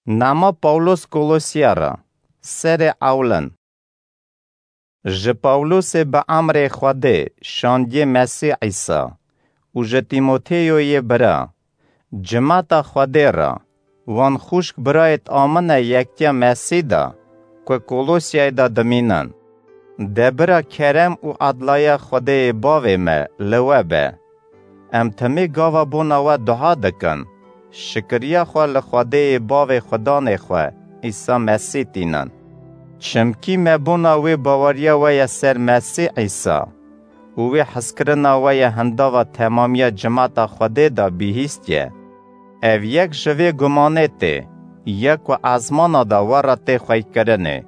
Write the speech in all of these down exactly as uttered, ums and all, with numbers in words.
Nama Pawlos Kolosya re, serê ewlin. Ji Pawlosê bi emrê Xwedê şandiye Mesîh Îsa û ji Tîmoteyoyê bira, cimata Xwedê re, wan xwişk birayêt amine yektiya Mesîh de ku Kolosyayê de dimînin. De bira kerem û edlaya Xwedêyê Bavê me li we be. Em timê gava bona we dua dikin, şikiriya xwe li Xwedêyê Bavê Xudanê xwe, Îsa Mesîh tînin. Çimkî me bona wê baweriya we ye ser Mesîh Îsa û wê hezkirina we ye hindava temamiya cimata Xwedê de bihîstiye. Ev yek ji vê gumanê tê, ya ku ezmana de we re tê xweykirinê.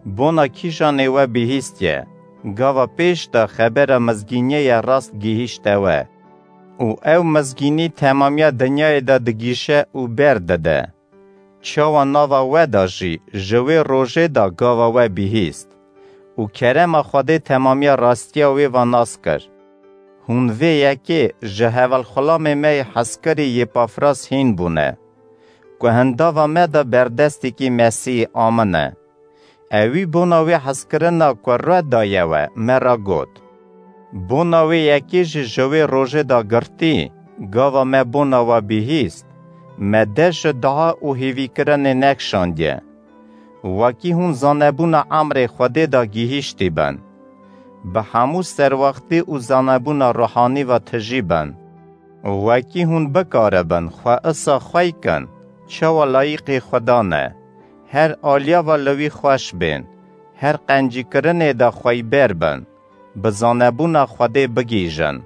Bona kîjanê we bihîstiye, gava pêş de xebera mizgîniyê ye rast gihîşte we. Û ew mizgînî temamiya dinyayê de digîşe û berdide. Çawa nava we de jî ji wê rojê de gava we bihîst û kerema Xwedê temamiya rastiya wê ve nas kir. Hûn vê yekê ji hevalxulamê me yê hezkirî Yêpafras hîn bûne, ku hindava me de berdestekî Mesîhî amine. Ewî bona wê hezkirina ku re daye we, me re got. Bona wê yekê jî ji wê rojê de girtî, gava me bona we bihîst, me dest ji dua û hêvîkirinê nekişandiye. Wekî hûn zanebûna emrê Xwedê de gihîştî bin, bi hemû serwextî û zanebûna ruhanî ve tijî bin. Wekî hûn bikaribin xwe isa xwey kin, çawa layîqî Xudan e, her aliya ve li wî xweş bên, her qencîkirinê de xweyber bin, bi zanebûna Xwedê bigihîjin.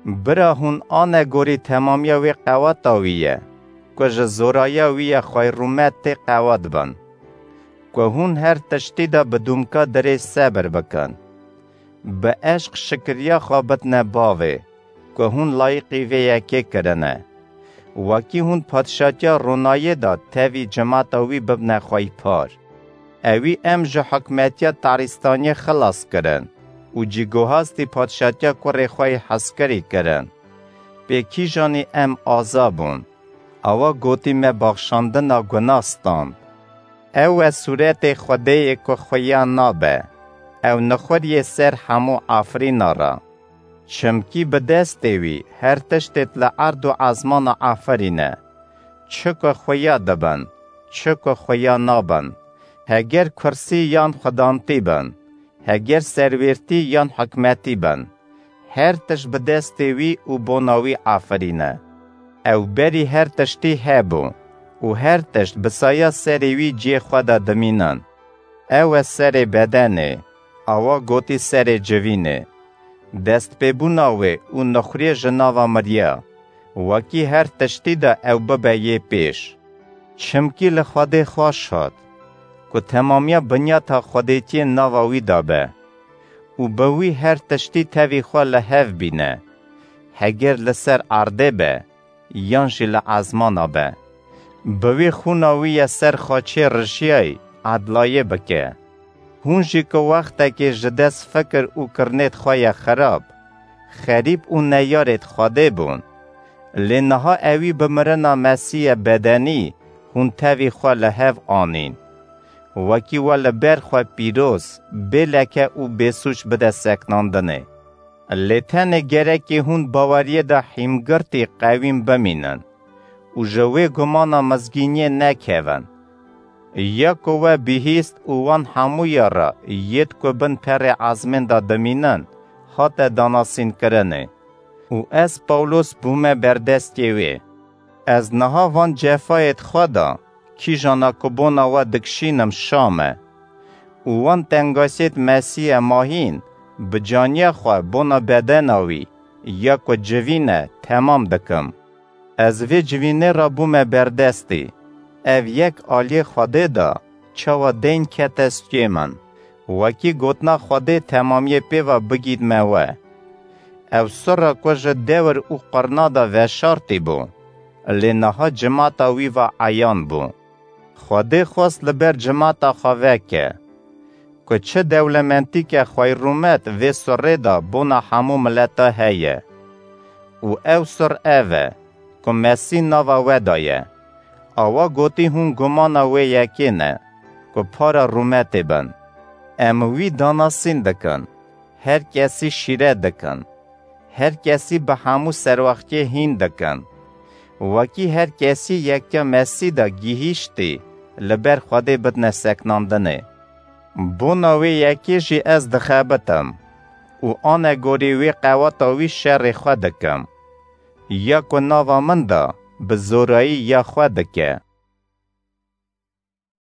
Bira hûn ane gorî temamiya wê qeweta wî ye, ku ji zoraya wî ye xweyrûmet tê qewet bin. Ku hûn her tiştî de bi dûmka dirêj sebir bikin. Bi eşq şikiriya xwe bidne Bavê, ku hûn layîqî vê yekê kirine. Wekî hûn padşatiya ronayê de tevî cimata wî bibne xweypar. Ewî em ji hikmetiya tarîstaniyê xilas kirin û cîgohastî padşatiya kurê xwe yê hezkirî kirin. Pê kîjanî em aza bûn. Awa gotî me baxşandina guna stand. Ew e sûretê Xwedêyê ku xuya nabe. Ew nixuriyê ser hemû afirîna re. Çimkî bi destê wî her tiştêt li erd û ezmana afirîne. Çi ku xuya dibin, çi ku xuya nabin. Heger kursî yan xudantî bin, heger serwêrtî yan hikmetî bin, her tişt bi destê wî û bona wî afirîne. Ew berî her tiştî hebû û her tişt bi saya serê wî cihê xwe de dimînin. Ew e serê bedenê, awa gotî serê civînê. Destpêbûna wê û nixuriyê ji nava miriya, wekî her tiştî de ew bibe yê pêş. Çimkî li Xwedê xweş hat, ku temamiya binyata xwedêtiyê nava wî de be û bi wî her tiştî tevî xwe li hev bîne, heger li ser erdê be yan jî li ezmana be. Bi wî xûna wî ye ser xaçê rijiyayî edlayê bike. Hûn jî ku wextekê ji dest fikir û kirinêt xwe ye xirab, xerîb û neyarêt Xwedê bûn. Lê niha ewî bi mirina Mesîhê bedenî hûn tevî xwe li hev anîn. Wekî we li ber xwe pîroz, bê leke û bêsûc bide seknandinê. Lê tenê gerekê hûn baweriyê de hîmgirtî qewîm bimînin û ji wê gumana mizgîniyê nekevin. Ya ku we bihîst û wan hemûya re yêt ku bin perê ezmên de dimînin, hate danasînkirinê. Û ez Pawlos bûme berdestê wê. Ez niha van cefayêt xwe da, kîjana ku bona we dikişînim Şam e. Û wan tengasiyêt Mesîhê mahîn, bi caniya xwe bona bedena wî, ya ku civîn e, temam dikim. Ez vê civînê re bûme berdestî. Ev yek aliyê Xwedê de, çawa deyn kete stûyê min. Wekî gotina Xwedê temamiyê pê ve bigît me we. Ew sirra ku ji dewr û qirna de veşartî bû, lê niha cimata wî ve eyan bû. Xwedê xwest li ber cimata xwe veke, ku çi dewlemendîke xweyrûmet vê sirrê de bona hemû mileta heye. Û ew sir ev e, ku Mesîh nava we de ye. Awa gotî hûn gumana wê yekê ne, ku para rûmetê bin. Em wî danasîn dikin, her kesî şîret dikin. Her kesî bi hemû serwaxtiyê hîn dikin. Wekî her kesî yekya Mesî de gihîştî, li ber Xwedê bidine seknandinê. Bona wê yekê jî ez dixebitim û anegorî wê qeweta wî şerê xwe dikim. Ya ku nava min de bi zorayî ya xwe dike,